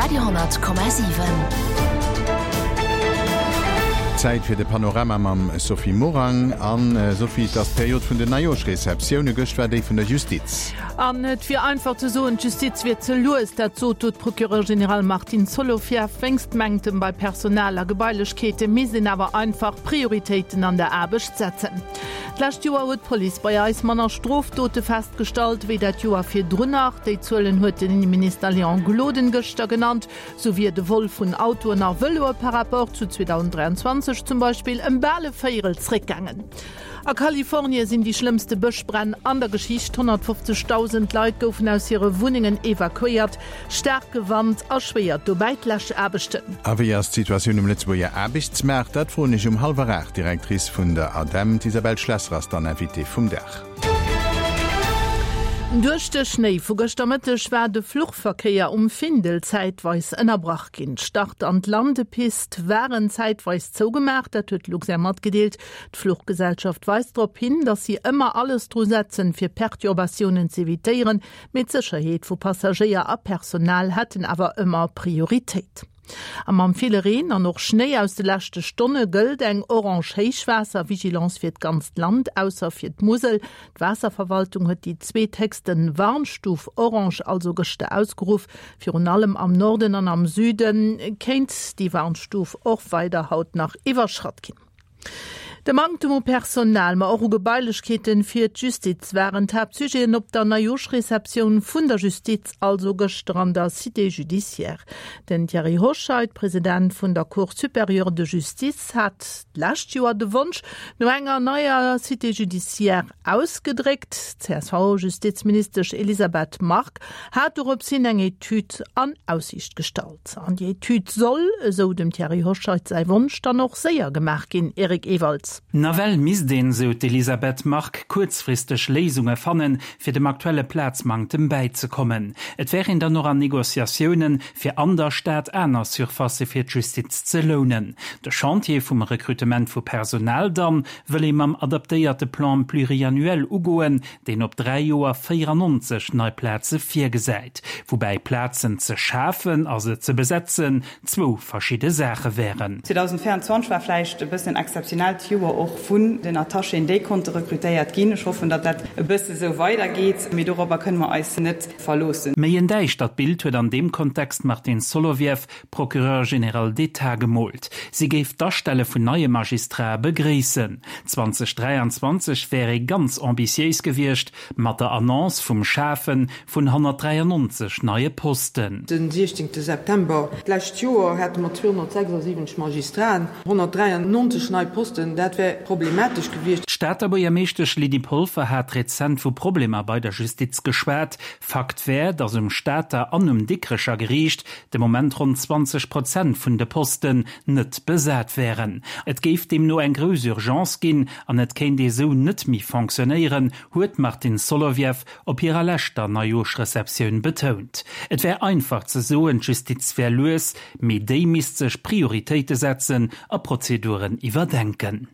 Radio 10,7. Zäit fir de Panorama mam Sophie Morang. An Sophie, et ass d'Period vun den Neijoerschreceptioune. Gëscht war déi vun der Justiz. An et wier einfach ze soen, d'Justiz wier ze lues. Dat sot do d'Procureure générale Martine Solovieff. Wéinst Manktem bei Personal a Gebailechkeete misst een awer einfach Prioritéiten an der Aarbecht setzen. D'lescht Joer huet d'Police bei eis manner Strofdote festgestallt, wéi dat Joer virdrun nach. Déi Zuelen huet den Inneminister Léon Gloden gëschter genannt. Sou wier de Vol vun Autoen a Vëloe par rapport zu 2023 zum Beispill ëm bal e Véierel zréckgaangen. A Kalifornie sinn déi schlëmmste Bëschbränn an der Geschicht. 150.000 Leit goufen aus hire Wunnengen evakuéiert. Staarke Wand erschwéiert dobäi d'Läschaarbechten. A wéi ass d'Situatioun um Lëtzebuerger Aarbechtsmaart? Dat froen ech um hallwer 8 d'Directrice vun der ADEM, d'Isabelle Schlesser ass dann Invitée vum Dag. Duerch de Schnéi vu gëschter Mëtteg war de Fluchverkéier um Findel zäitweis ënnerbrach ginn. D'Start an d'Landepist waren zäitweis zougemaach, dat huet d'Luxair matgedeelt. D'Fluchgesellschaft weist drop hin, datt si ëmmer alles dru setzen, fir Perturbatiounen z'evitéieren. Mee d'Sécherheet vu Passagéier a Personal hätten awer ëmmer Prioritéit. A mam ville Reen an och Schnéi aus de leschte Stonne gëllt eng orange Héichwaasser-Vigilance fir d'ganzt Land, ausser fir d'Musel. D'Waasserverwaltung huet déi zweethéchste Warnstuf orange also gëschter ausgeruff. Virun allem am Norden an am Süde kéint déi Warnstuf och weider haut nach iwwerschratt ginn. De Manktem u Personal, ma och u Gebailechkeeten fir d'Justiz waren d'Haaptsujeten op der Neijooschreceptioun vun der Justiz, also gëschter an der Cité judiciaire. Den Thierry Hoscheit, President vun der Cour supérieure de justice, hat d'lescht Joer de Wonsch no enger neier Cité judiciaire ausgedréckt. D'CSV-Justizministesch Elisabeth Margue hat dorops hin eng Etüd an Aussiicht gestallt. An déi Etüd soll, esou dem Thierry Hoscheit säi Wonsch, dann och séier gemaach ginn. Eric Ewald. Nawell misst een, esou d'Elisabeth Margue, kuerzfristeg Léisunge fannen, fir dem aktuelle Plazmanktem bäizekommen. Et wär een dann och an Negociatiounen, fir an der Stad aner Surfacë fir d'Justiz ze lounen. De Chantier vum Rekrutement vu Personal dann wëll ee mam adaptéierte Plan pluriannuel ugoen, deen op 3 Joer 94 nei Plaze virgesäit, woubäi Plazen ze schafen a se ze besetzen zwou verschidde Saache wären. 2024 war vläicht e bëssen en exzeptionellt Joer och vun den Attachéen, déi konnte rekrutéiert ginn. Ech hoffen, datt dat e bësse sou weidergeet, mee dorobber kënne mer eis net verloossen. Méi en däischtert Bild huet an deem Kontext d'Martine Solovieff, Procureur général d'État gemoolt. Si géif d'Astelle vun neie Magistrate begréissen. 2023 wär ee ganz ambitiéis gewiescht mat der Annonce vum Schafe vun 193 neie Posten. Den 16 September d'lescht Joer hate mer 276 Magistraten, 193 nei Posten, dat wär problematesch gewiescht. D'Stater Buergermeeschtesch Lydie Polfer hat rezent vu Problemer bei der Justiz geschwat. Fakt wär, datt um Stater an um Dikrecher Geriicht de Moment ronn 20 Prozent vun de Posten net besat wären. Et géif deemno eng grouss Urgence ginn an et kéint ee sou net méi fonctionnéieren, huet d'Martine Solovieff op hirer leschter Neijooschreceptioun betount. Et wär einfach ze soen, d'Justiz wär lues, mee déi misst sech Prioritéite setzen a Prozeduren iwwerdenken.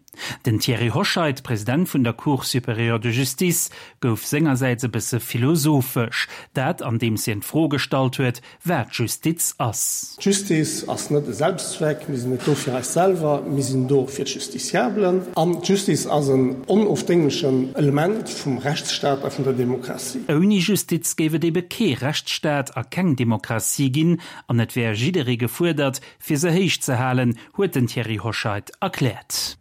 Den Thierry Hoscheit, President vun der Cour supérieure de justice, gouf sengersäits e bësse philosophesch. Dat andeems hien d'Fro gestallt huet, wat Justiz ass. D'Justiz ass net e Selbstzweck. Mir sinn net do fir eis selwer, mir sinn do fir d'Justiciablen. An d'Justiz ass en onofdénglechen Element vum Rechtsstaat a vun der Demokratie. Ouni Justiz géif et ebe kee Rechtsstaat a keng Demokratie ginn an et wär jidderee gefuerdert, fir se héich ze halen, huet den Thierry Hoscheit erkläert.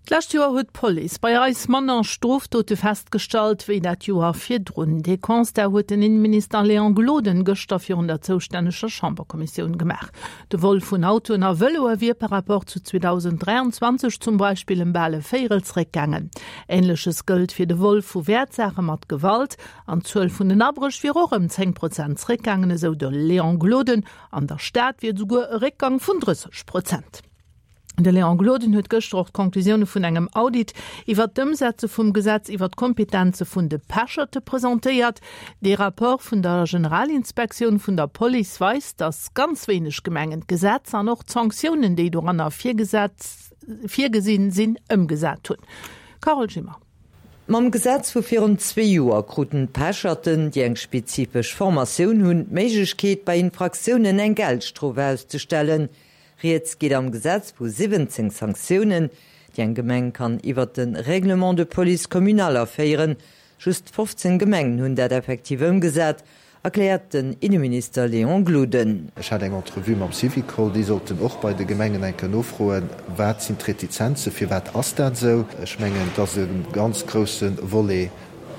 D'lescht Joer huet d'Police bei eis manner Strofdote festgestallt, wéi dat Joer virdrun. Dee Constat huet den Inneminister Léon Gloden gëschter virun der zoustänneger Chamberkommissioun gemaach. De Vol vun Autoen a Vëloe wier par rapport zu 2023 zum Beispill ëm bal e Véierel zeréckgaangen. Änleches gëllt fir de Vol vu Wäertsaache mat Gewalt. An d'Zuel vun den Abréch wier och ëm 10 Prozent zeréckgaangen, esou de Léon Gloden. An der Stad wier et esouguer e Réckgang vun 30 Prozent. De Léon Gloden huet gëschter och d'Conclusioune vun engem Audit iwwer d'Ëmsetze vum Gesetz iwwer d'Kompetenze vun de Pecherte presentéiert. Dee Rapport vun der Generalinspektioun vun der Police weist, datt ganz wéineg Gemengen d'Gesetz an och d'Sanktiounen, déi doranner virgesinn sinn, ëmgesat hunn. Carole Schimmer. Mam Gesetz vu virun zwee Joer kruten d'Pecherten, déi eng spezifesch Formatioun hunn, d'Méiglechkeet, bei Infraktiounen eng Geldstrof auszestellen. Rieds geet am Gesetz vu 17 Sanktiounen, déi eng Gemeng kann iwwert de Règlement de police communal aféieren. Just 15 Gemengen hunn dat effektiv ëmgesat, erkläert den Inneminister Léon Gloden. Ech hat eng Entrevue mam Syvicol, déi sollten och bei de Gemengen eng Kéier nofroen, wat sinn d'Retizenzen, firwat ass dat esou. Ech mengen, et ass e ganz grousse Volet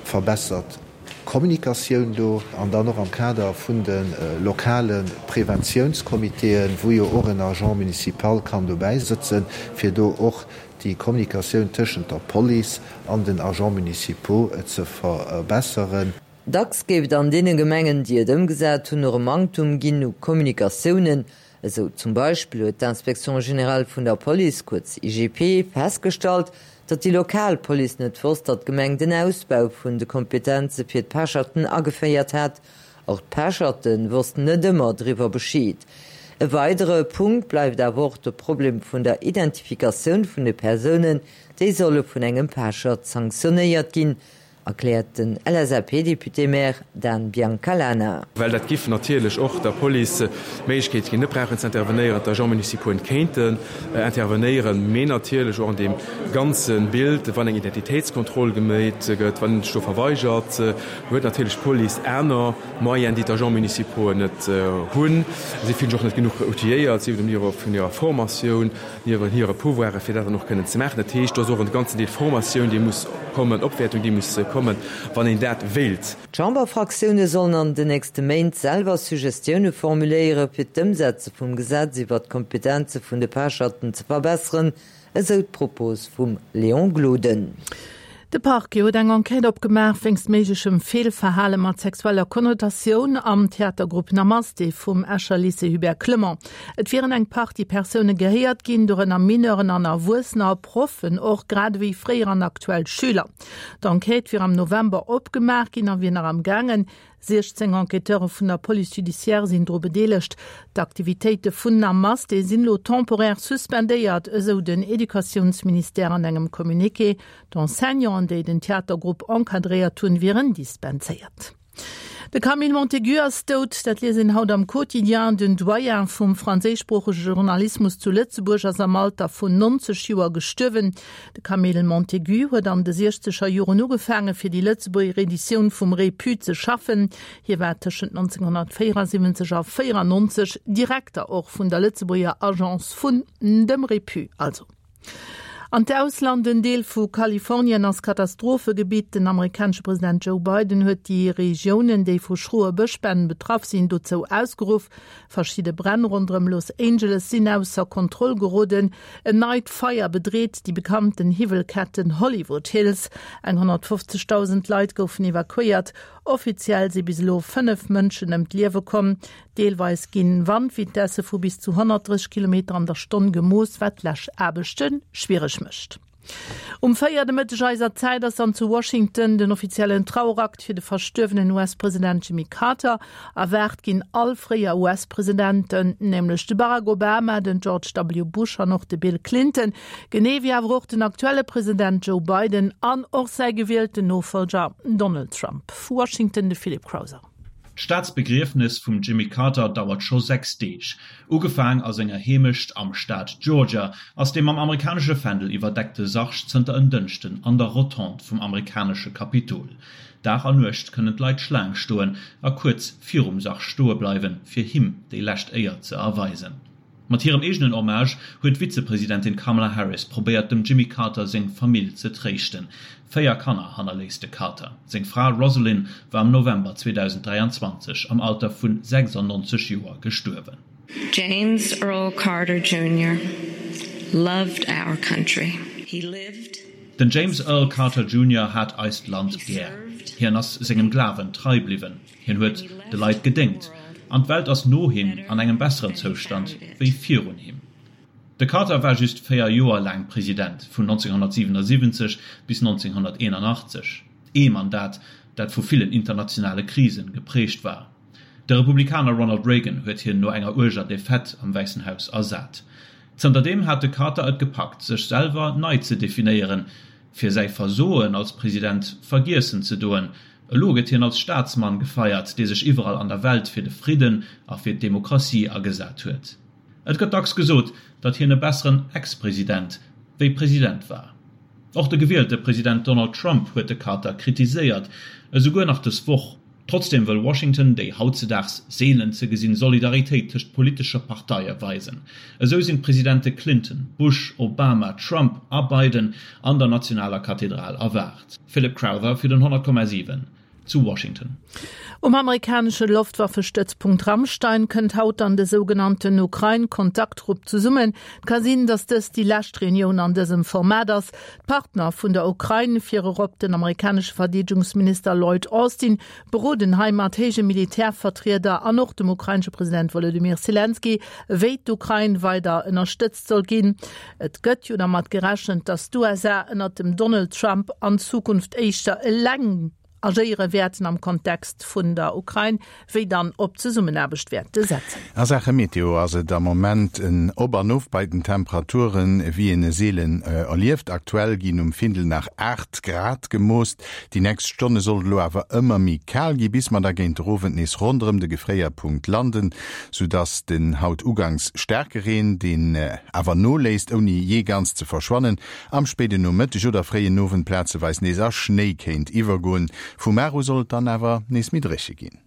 verbessert Kommunikatioun do an dann och am Kader vun de lokale Preventiounscomitéen, wou jo och en Agent municipal kann dobäi sëtzen, fir do och déi Kommunikatioun tëschent der Police an den Agents municipaux ze verbesseren. Dacks géif et an deene Gemengen, déi et ëmgesat hunn, och e Manktum ginn u Kommunikatiounen. Esou zum Beispill huet d'Inspection générale vun der Police, kuerz IGP, festgestallt, datt déi lokal Police net wosst, datt d'Gemeng den Ausbau vun de Kompetenze fir d'Pecherten ageféiert hat. Och d'Pecherte wossten net ëmmer driwwer Bescheed. E weidere Punkt bleift awer och de Problem vun der Identifikatioun vun de Persounen, déi solle vun engem Pechert sanktionéiert ginn. Erkläert den LSAP-Député-Maire Dan Biancalana. Well dat giff natierlech och der Police d'Méiglechkeet ginn, net brauchen ze intervenéieren, d'Agents municipauxen kéinten intervenéieren, mee natierlech och an deem ganze Bild, wann eng Identitéitskontroll gemeet gëtt, wann een sech do verweigert, huet natierlech d'Police aner Moyenen, déi d'Agents municipauxen net hunn. Si fillen sech och net genuch outilléiert, sief et um Niveau vun hirer Formatioun, Niewent hire Pouvoiren, fir dat dann och kënnen ze maachen. Dat heescht, do ass och en ganzen Deel Formatioun, déi muss kommen, Opwäertung, déi muss kommen, wann een dat wéilt. D'Chamberfraktioune sollen an den nächste Méint selwer Suggestioune formuléiere fir d'Ëmsetze vum Gesetz iwwer d'Kompetenze vun de Pecherten ze verbesseren, esou d'Propos vum Léon Gloden. De Parquet huet eng Enquête opgemaach wéinst méiglechem Feelverhale mat sexueller Konnotatioun am Theatergrupp Namaste vum Escher Lycée Hubert Clement. Et wieren eng Partie Persoune gehéiert ginn, dorënner Mineuren an Erwuessener, Proffen och, grad ewéi fréier an aktuell Schüler. D'Enquête wier am November opgemaach ginn a wier nach am gaangen. 16 Enquêteure vun der Police judiciaire sinn dru bedeelegt. D'Aktivitéite vun Namaste sinn elo temporaire suspendéiert, esou den Educatiounsministère an engem Communiqué. D'Enseignanten, déi den Theatergrupp encadréiert hunn, wieren dispenséiert. De Camille Montaigu ass dout, dat liest een haut am Quotidien. Den Doyen vum franséischsproochege Journalismus zu Lëtzebuerg ass am Alter vun 90 Joer gestuerwen. De Camille Montaigu huet an de siechzeger Joren ugefaange fir déi Lëtzebuerger Editioun vum Repu ze schaffen. Hie war tëschent 1974 a 94 Direkter och vun der Lëtzebuerger Agence vun dem Repu also. An d'Ausland, En Deel vu Kalifornien ass Katastrophegebitt. Den amerikanesche President Joe Biden huet déi Regiounen, déi vu schroe Bëschbränn betraff sinn, dozou ausgeruff. Verschidde Bränn ronderëm Los Angeles sinn ausser Kontroll geroden. En neit Feier bedreet déi bekannten Hiwwelketten Hollywood Hills. Eng 150.000 Leit goufen evakuéiert. Offiziell si bis elo 5 Mënschen ëm d'Liewe komm. Deelweis ginn Wandvitesse vu bis zu 130 Kilometer an der Stonn gemooss, wat d'Läschaarbechte schwiereg mécht. Um 4 de Mëtteg eiser Zäit ass dann zu Washington den offiziellen Trauerakt fir de verstuerwenen US-President Jimmy Carter. Erwaart ginn all fréier US-Presidenten, nämlech de Barack Obama, den George W. Bush an och de Bill Clinton, genee wéi awer och den aktuelle President Joe Biden an och säi gewielten Nofollger Donald Trump. Vu Washington de Philip Crowther. D'Staatsbegriefnes vum Jimmy Carter dauert scho 6 Deeg. Ugefaang a senger Heemecht am Staat Georgia, ass dee mam amerikanesche Fändel iwwerdeckte Sarg zënter en Dënschden an der Rotonde vum amerikanesche Kapitol. Dag a Nuecht kënnen d'Leit Schlaang stoen a kuerz virum Sarg stoe bleiwen, fir him déi lescht Éier ze erweisen. Mat hirem eegenen Hommage huet d'Vizepresidentin Kamala Harris probéiert dem Jimmy Carter seng Famill ze tréischten. Véier Kanner hannerléisst de Carter. Seng Fra Rosalynn war am November 2023 am Alter vu 96 Joer gestuerwen. James Earl Carter Junior loved our country. He lived. Den James Earl Carter Junior hat eist Land gär. Hien ass sengem Glawen trei bliwwen. Hien huet de Leit gedéngt, an d'Welt ass no him an engem besseren Zoustand wéi virun him. De Carter war just 4 Joer laang President, vun 1977 bis 1981, ee Mandat, dat vu villen internationale Krisen geprägt war. De Republikaner Ronald Reagan huet hien no enger uerger Defaite am Wäissen Haus ersat. Zënterdeem hat de Carter et gepackt, sech selwer nei ze definéieren. Fir säi Versoen als President vergiessen ze doen. Elo gëtt hien als Staatsmann gefeiert, dee sech iwwerall an der Welt fir de Fridden a fir d'Demokratie agesat huet. Et gëtt dacks gesot, datt hien e besseren Ex-President wéi President war. Och de gewielte President Donald Trump huet de Carter kritiséiert, esouguer nach dës Woch. Trotzdeem wëll Washington déi hautzedaags seelen ze gesinn Solidaritéit tëscht politesche Parteie weisen. Esou sinn d'Presidente Clinton, Bush, Obama, Trump a Biden an der nationaler Kathedral erwaart. Philip Crowther fir den 100,7 zu Washington. Um amerikanesche Loftwaffestëtzpunkt Ramstein kënnt haut dann de sougenannten Ukrain-Kontaktgrupp zesummen. Et ka sinn, datt dëst déi lescht Reunioun an dësem Format ass. D'Partner vun der Ukrain, virerop den amerikanesche Verdeedegungsminister Lloyd Austin, beroden hei mat héije Militärvertrieder an och dem ukrainesche President Wolodymyr Selenskyj, wéi d'Ukrain weider ënnerstëtzt soll ginn. Et gëtt jo dermat gerechent, datt d'USA ënnert dem Donald Trump an Zukunft éischter eleng agéiere wäerten am Kontext vun der Ukrain, wéi dann op Zesummenaarbecht wäerte setzen. A Saache Meteo ass et am Moment en Op an Of bei den Temperaturen, wéi een e seelen erlieft. Aktuell ginn um Findel nach 8 Grad gemooss. Déi nächst Stonne soll et elo awer ëmmer méi kal gi, bis mer da géint der Owend nees ronderëm de Gefréierpunkt landen, soudass den haut ugangs staarke Reen, deen awer noléisst ouni jee ganz ze verschwannen, am spéide Nomëtteg oder fréien Owend plazeweis nees a Schnéi kéint iwwergoen. Vu mar u soll et dann awer nees méi dréche ginn.